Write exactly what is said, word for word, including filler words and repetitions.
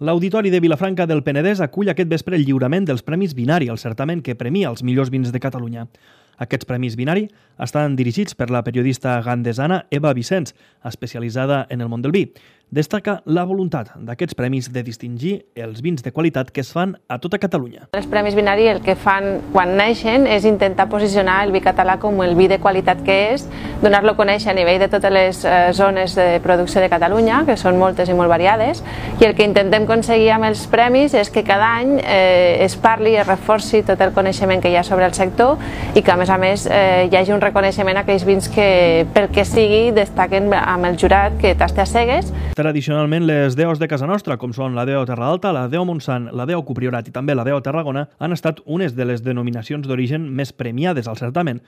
L'Auditori de Vilafranca del Penedès acull aquest vespre el lliurament dels Premis Binari, el certamen que premia els millors vins de Catalunya. Aquests Premis Binari estan dirigits per la periodista gandesana Eva Vicens, especialitzada en el món del vi. Destaca la voluntat d'aquests premis de distingir els vins de qualitat que es fan a tota Catalunya. Els Premis Binari el que fan quan neixen és intentar posicionar el vi català com el vi de qualitat que és, donar-lo a conèixer a nivell de totes les eh, zones de producció de Catalunya, que són moltes i molt variades, i el que intentem aconseguir amb els premis és que cada any eh, es parli i es reforci tot el coneixement que hi ha sobre el sector i que a més a més eh, hi hagi un reconeixement a aquells vins que pel que sigui destaquen amb el jurat que tasta a cegues. Tradicionalment, les deos de casa nostra, com són la Deo Terra Alta, la Deo Montsant, la Deo Copriorat i també la Deo Tarragona, han estat unes de les denominacions d'origen més premiades al certamen,